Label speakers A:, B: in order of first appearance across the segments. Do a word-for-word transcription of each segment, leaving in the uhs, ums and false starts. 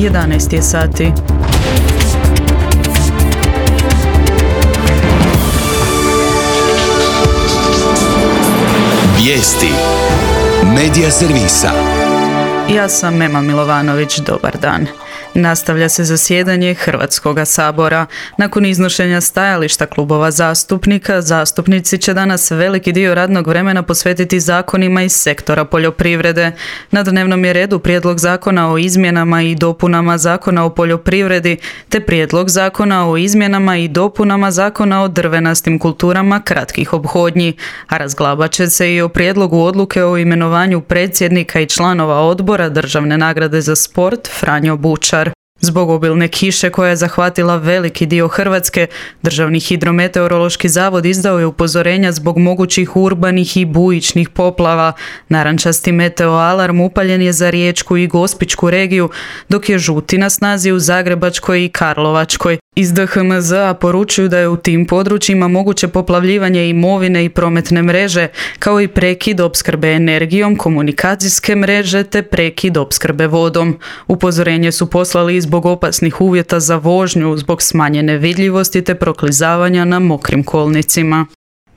A: jedanaest je sati.
B: Vijesti Medija servisa.
A: Ja sam Mema Milovanović, dobar dan. Nastavlja se zasjedanje Hrvatskoga sabora. Nakon iznošenja stajališta klubova zastupnika, zastupnici će danas veliki dio radnog vremena posvetiti zakonima iz sektora poljoprivrede. Na dnevnom je redu prijedlog zakona o izmjenama i dopunama zakona o poljoprivredi, te prijedlog zakona o izmjenama i dopunama zakona o drvenastim kulturama kratkih ophodnji, a razglabat će se i o prijedlogu odluke o imenovanju predsjednika i članova odbora Državne nagrade za sport Franjo Bučar. Zbog obilne kiše koja je zahvatila veliki dio Hrvatske, Državni hidrometeorološki zavod izdao je upozorenja zbog mogućih urbanih i bujičnih poplava. Narančasti meteoalarm upaljen je za Riječku i Gospićku regiju, dok je žuti na snazi u Zagrebačkoj i Karlovačkoj. Iz D H M Z-a poručuju da je u tim područjima moguće poplavljivanje imovine i prometne mreže, kao i prekid opskrbe energijom, komunikacijske mreže te prekid opskrbe vodom. Upozorenje su poslali zbog opasnih uvjeta za vožnju, zbog smanjene vidljivosti te proklizavanja na mokrim kolnicima.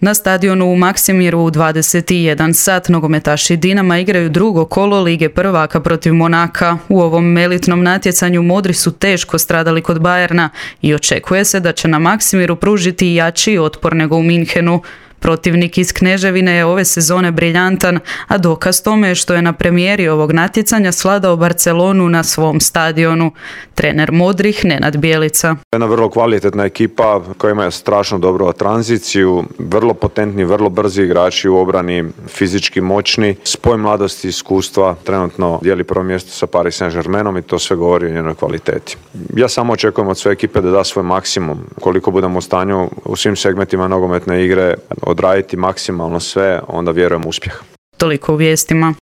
A: Na stadionu u Maksimiru u dvadeset jedan sat nogometaši Dinama igraju drugo kolo Lige prvaka protiv Monaka. U ovom elitnom natjecanju modri su teško stradali kod Bayerna i očekuje se da će na Maksimiru pružiti jači otpor nego u Minhenu. Protivnik iz Kneževine je ove sezone briljantan, a dokaz tome je što je na premijeri ovog natjecanja svladao Barcelonu na svom stadionu. Trener modrih Nenad Bjelica.
C: Jedna vrlo kvalitetna ekipa koja ima strašno dobru tranziciju, vrlo potentni, vrlo brzi igrači u obrani, fizički moćni, spoj mladosti i iskustva, trenutno dijeli prvo mjesto sa Paris Saint-Germainom i to sve govori o njenoj kvaliteti. Ja samo očekujem od sve ekipe da da svoj maksimum, koliko budemo u stanju u svim segmentima nogometne igre odraditi maksimalno sve, onda vjerujem u uspjeh.
A: Toliko u vijestima.